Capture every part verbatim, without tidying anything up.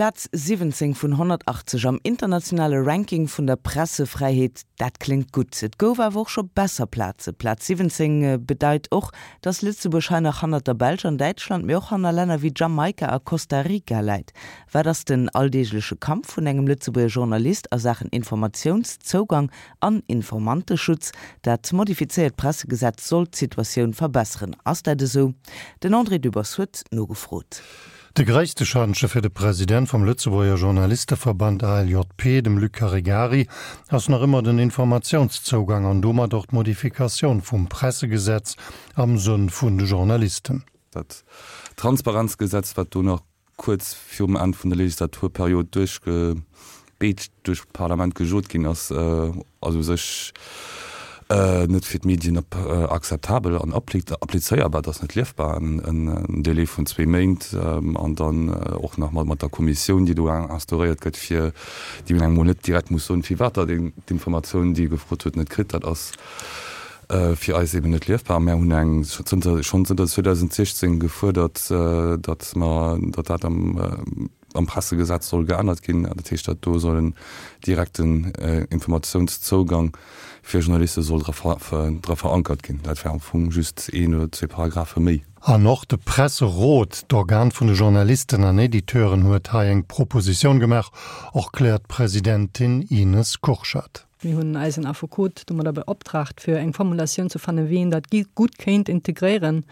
Plaz siwwenzéng vun honnertachtzeg am internationale Ranking vun der Pressefräiheet, dat kléngt gutt. Et gouf awer och scho besser Plaze. Plaz siwwenzéng bedeit och, datt Lëtzebuerg hei nach hannert der Belsch an Däitschland, mee och hanner Länner wéi Jamaika a Costa Rica läit. Wat ass den alldeegleche Kampf vun engem Lëtzebuerger Journalist a Saachen Informatiounszougang an Informanteschutz? Dat modifizéiert Pressegesetz soll d'Situatioun verbesseren. Ass dat esou? Den André Dübbers huet nogefrot. De gréisste Schantje fir de President vum Lëtzebuerger Journalisteverband A L J P, dem Luc Caregari, ass nach ëmmer den Informatiounszougang an domat och d'Modifikatioun vum Pressegesetz am Sënn vun de Journalisten. Dat Transparenzgesetz, wat do nach kuerz virum Enn vun der Legislaturperiod duerchgebeetscht duerch d'Parlament gejot ginn ass, ass u sech net fir d'Medien akzeptabel an applizéierbar. Dat ass net liefbar, en Délai vun zwee Méint an dann och nach mat der Kommissioun, déi do instauréiert gëtt, fir déi een engem mol net direkt muss soen, firwat datt een d'Informatioun, déi e gefrot huet, net kritt. Dat ass fir eis eben net liefbar. Mär hunn eng zënter schonn zënter zweedausendsechzéng gefuerdert, datt mer datt dat am am Pressegesetz soll geännert ginn, dat heescht, datt do soll en direkten Informatiounszougang fir Journaliste soll dra dra verankert ginn. Dat wär am Fong just een oder zwee Paragraphe méi. An och de Presserot, d'Organ vun de Journalisten an Editeuren, huet hei eng Propositioun gemaach, erkläert d'Presidentin Ines Kurschat. Mir hunn eisen Affekot domadder beoptraagt, fir eng Formulatioun ze fannen, wéi een dat gutt kéint integréieren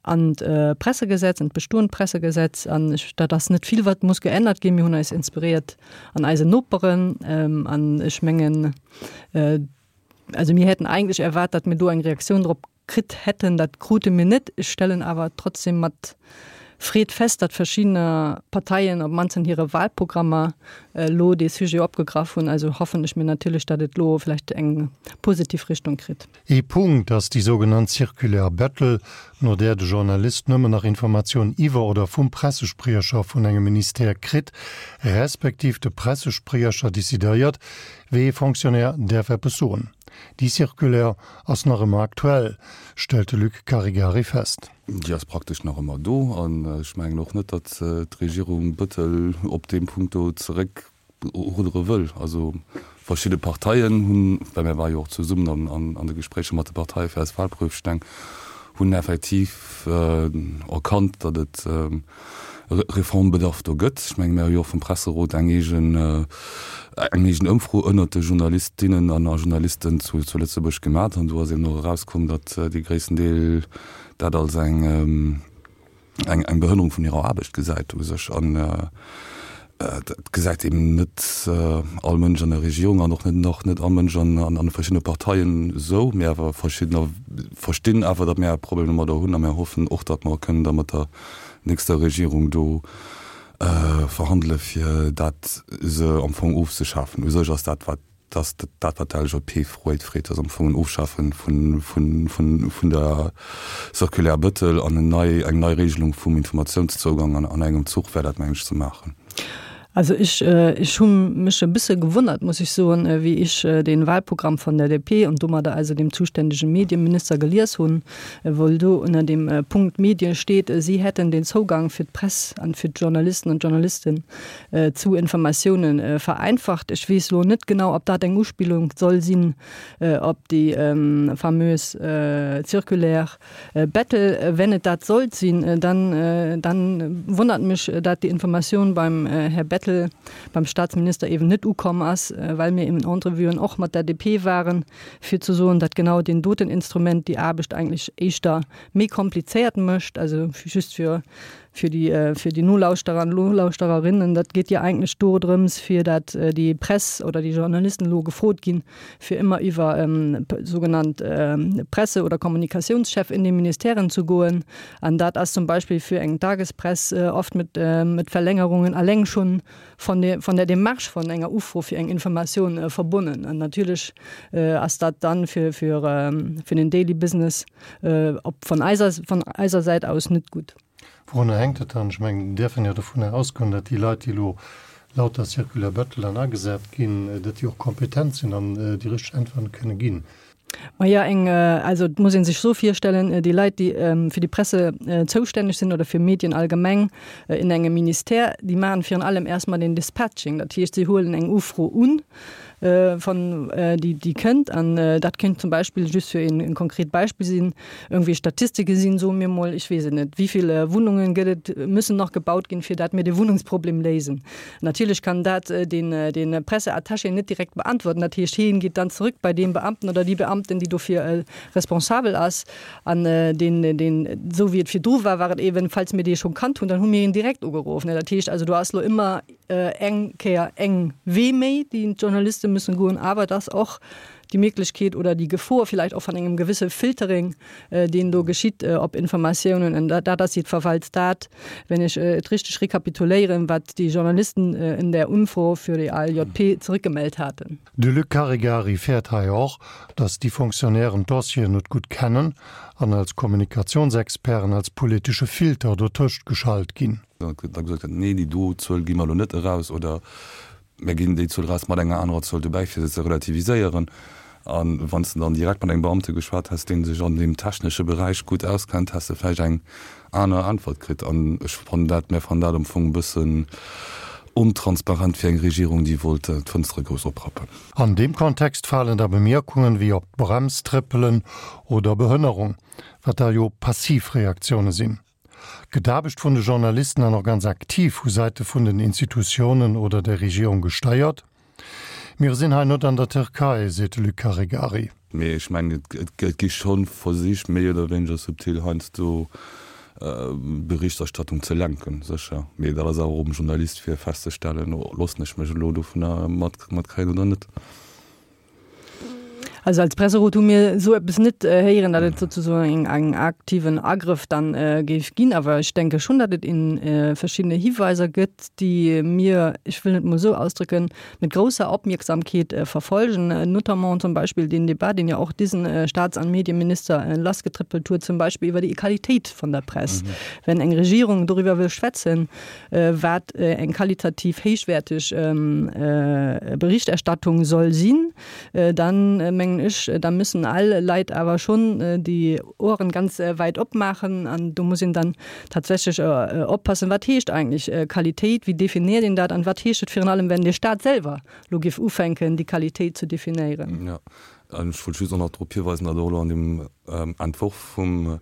an d'Pressegesetz, an d'bestoend Pressegesetz. An ech, dat ass net vill, wat muss geännert ginn. Mir hunn eis inspiréiert an eisen Noperen. An ech mengen, also mir hätten eigentlech erwaart, datt mir do eng Reaktioun drop kritt hätten. Dat krute mir net. Ech stellen awer trotzdem mat Freed fest, datt verschiddener Parteien op d'mannst an hire Wahlprogrammer elo dee Sujet opgegraff hunn. Also hoffen ech mir natierlech, datt et elo vläicht eng positiv Richtung kritt. Ee Punkt ass déi sougenannt Circulaire Bettel, no där de Journalist nëmmen nach Informatioun iwwer oder vum Pressespriecher vun engem Ministère kritt, respektiv de Pressespriecher decidéiert, wéi ee Fonctionnaire däerf eppes soen. Déi Circulaire ass nach ëmmer aktuell, stellt de Luc Caregari fest. Déi ass praktesch nach ëmmer do an ech mengen och net, datt d'Regierung Bettel op deem Punkt do zeréckruddere wëll. Also verschidde Parteien hunn, well mir ware jo och zesummen an de Gespréicher mat de Parteie fir eis Wahlprüfsteng, hunn effektiv erkannt, datt et Reformbedarf do gëtt. Ech menge mir hu jo och vum Presserot eng eegen eng eegen Ëmfro ënnert de Journalistinnen an a Journalisten zu zu Lëtzebuerg gemat an do ass eben och erauskomm, datt dee gréissten Deel dat als eng eng eng Behënnerung vun hirer Aarbecht gesäit u sech. An dat gesäit eben net all Mënsch an der Regierung an och net nach net all Mënsch an an de verschiddene Parteien esou, mee awer verschiddener verstinn awer, datt mir e Problem domadder hunn a mir hoffen och, datt mer kënnen da mat der nächster Regierung do verhandele fir dat se am Fong ofzeschafen. U sech ass dat wat dat dat wat d'L S J P freet freet ass am Fong en Ofschafe vun vun vun vun der Circulaire Bettel an en nei eng nei Regelung vum Informatiounszougang an an engem Zuch wär dat mengen ech ze maachen. Also ech, ech hu mech e bësse gewonnert, muss ech soen, wéi ech den Wahlprogramm von der D P und domadder also dem zuständigen Medienminister gelies hunn, wou do ënner dem Punkt Medien steet, sie hätten den Zugang fir d'Press an fir d'Journalisten und Journalistinnen zu Informatiounen vereinfacht. Ech weess lo net genau, ob dat eng Uspillung soll sinn op déi famös Circulaire Bettel. Wenn et dat sollt sinn, dann, dann wonnert mech, dat déi Informatioun beim Här Bettel, beim Staatsminister eben net ukomm ass, well mir in Entrevuen och mat der D P waren, fir ze soen, datt genau deen doten Instrument déi Aarbecht eigentlech éischter méi komplizéiert mécht, also just fir fir déi fir déi Nolauschterer an Nolauschtererinnen, dat geet jo eigentlech do drëms, fir dat déi Press oder déi Journalisten elo gefrot ginn, fir ëmmer iwwer sougenannt Presse oder Kommunikatiounschef in de Ministèren ze goen. An dat ass zum Beispill fir eng Tagespress oft mat mat Verlängerungen alleng schonn von der von der Démarche von enger Ufro fir eng Informatioun verbonnen. An natierlech ass dat dann fir fir fir den Daily Business op von eiser von eiser Säit aus net gutt. Wourunner hänkt et dann? Ech mengen, mir däerfen jo dovunner ausgoen, datt déi Leit, déi elo laut der Circulaire Bettel dann agesat ginn, datt déi och kompetent sinn an déi richteg Äntweren kënne ginn. Maja eng also et muss een sech sou virstellen, déi Leit déi fir déi Presse zoustänneg sinn oder fir Medien allgemeng in engem Ministère, déi maachen virun allem erst mal den Dispatching. Dat heescht si huelen eng Ufro un von déi déi kënnt an dat kéint zum Beispill just fir een konkret Beispill sinn, irgendwie Statistike sinn, soe mir mol, ech weess et net, wéivill Wunnungen gëtt et, müssen nach gebaut ginn, fir dat mir de Wunnungsproblem léisen. Natierlech kann dat den den Presseattaché net direkt beantworten. Dat heescht, hien geet dann zrëck bei dee Beamten oder déi Beamten, déi dofir responsabel ass. An deen, deen, esou wéi et virdru war, war et eeben, falls mir dee scho kannt hunn, dann hu mir hien direkt ugeruff. Dat heescht also, do ass elo ëmmer eng Kéier eng Wee méi, déi d'Journaliste müssen goen, awer et ass och déi Méiglechkeet oder déi Gefor vielleicht och van engem gewisse Filtering, deen do geschitt op Informatiounen. An dat ass jiddwerfalls dat, wenn ech et richteg rekapituléieren, wat déi Journalisten in der Umfro für die ALJP zurückgemellt haten. De Luc Caregari fäert hei och, datt déi Fonctionnairen d'Dossieren net gutt kennen an als Kommunikationsexperten als politesche Filter dotëscht geschalt ginn. Da gesot gëtt, nee, déi do Zuel gi mer elo net eraus oder mir ginn déi Zuel eraus mat enger anerer Zuel dobäi, fir se ze relativiséieren. A wann s de dann direkt mat engem Beamte geschwat häss, dee sech an deem technesche Beräich gutt auskennt, häss de vläicht eng aner Äntwert kritt. An ech fannen dat, mir fannen dat am Fong e bëssen ontransparent fir eng Regierung, déi wollt d'Fënstere grouss oprappen. An deem Kontext falen da Bemierkungen wéi op d'Brems trëppelen oder Behënnerung, wat da jo passiv Reaktioune sinn. Gëtt d'Aarbecht vun de Journalisten dann och ganz aktiv vu Säite vun den Institutiounen oder der Regierung gesteiert? Mir sinn hei net an der Türkei, seet de Luc Caregari. Mee ech mengen, et gi scho Versich, méi oder wéineger subtil heiansdo d'Berichterstattung ze lenken, sécher. Mee dat ass awer och um Journalist fir festzestellen, Loossen ech mech elo dovunner matkréien oder net? Also als Presserot hu mir esou eppes net héieren, datt et sozusagen eng aktiven Agrëff dann géif ginn. Awer ech denke schonn, datt et in verschiddene Hiweiser gëtt, déi mir, ech wëll et mol esou ausdrücken, mit großer Opmierksamkeet verfolgen, notamment zum Beispill deen Debat, deen jo och diesen Staats an Medieminister lassgetrëppelt huet, zum Beispill iwwer déi Qualitéit von der Press. Wenn eng Regierung doriwwer wëll schwätzen, wat eng qualitativ héichwäerteg Berichterstattung soll sinn, dann mengen ech, da müssen all Leit awer schonn déi Ohren ganz weit opmaachen an do muss een dann tatsächlech oppassen, wat heescht eigentlech Qualitéit, wéi definiert een dat an wat heescht et virun allem, wenn de Staat selwer lo géif ufänken, déi Qualitéit ze definéieren. Jo, an ech wollt just och nach drop hiweisen, datt och elo an deem Entworf vum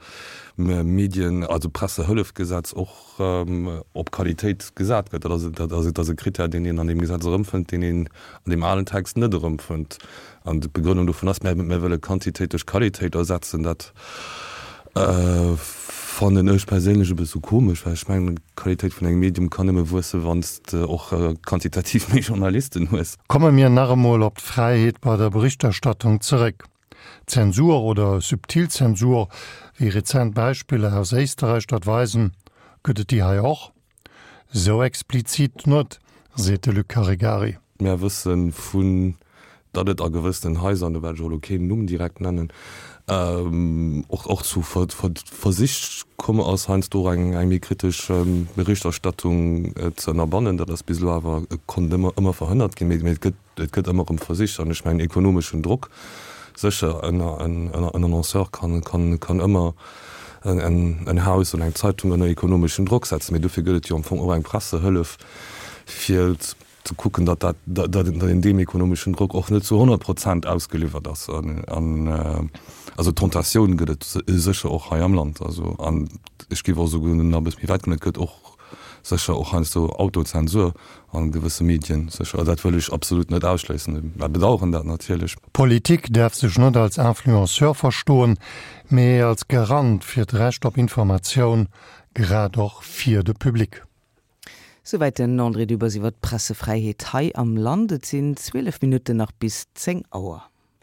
Medien-, also Pressehëllefgesetz och op Qualitéit gesat gëtt. Dat ass, dat ass, dat ass e Krittär, deen een an deem Gesetz erëmfënnt, deen een an deem alen Text net erëmfënnt. An d'Begrënnung dovun ass, mir, mir wëlle Quantitéit duerch Qualitéit ersetzen. Dat fannen ech perséinlech e bësse komesch, well ech mengen, d'Qualitéit vun engem Medium kann nëmme wuessen, wann s de och quantitativ méi Journalisten hues. Komme mir nach emol op d'Fräiheet bei der Berichterstattung zeréck. Zensur oder subtil Zensur, wéi rezent Beispiller aus Éisterräich dat weisen, gëtt et déi hei och? Sou explizit net, seet de Luc Caregari. Mär wësse vun, datt et a gewëssenen Haiser, an do wäert ech och elo keen Numm direkt nennen, och och zu Versich komm ass, heiansdo och eng méi kritesch Berichterstattung ze ënnerbannen. Dat ass bis elo awer konnt ëmmer ëmmer verhënnert ginn, mee et gëtt et gëtt ëmmer erëm Versich. An ech mengen, ekonomeschen Drock, sécher, en en Annonceur kann kann kann ëmmer en en Haus oder eng Zeitung ënner ekonomeschen Drock setzen, mee dofir gëtt et jo am Fong och eng Pressehëllef, fir ze kucken, datt dat, datt een deem ekonomeschen Drock och net zu honnert Prozent ausgeliwwert ass. An also d'Tentatioun gëtt et sécher och hei am Land. Also an ech géif och esouguer nach e bësse méi wäit goen, et gëtt och sécher och heiansdo Autozensur a gewësse Medien, sécher. Dat wëll ech absolut net ausschléissen. Mer bedauern dat natierlech. Politik däerf sech net als Influenceur verstoen, mee als Garant fir d'Recht op Informatioun, grad och fir de Public. Souwäit den André Dübbers iwwer d'Pressefräiheet hei am Land. Et sinn zwielef Minutten nach bis zéng Auer.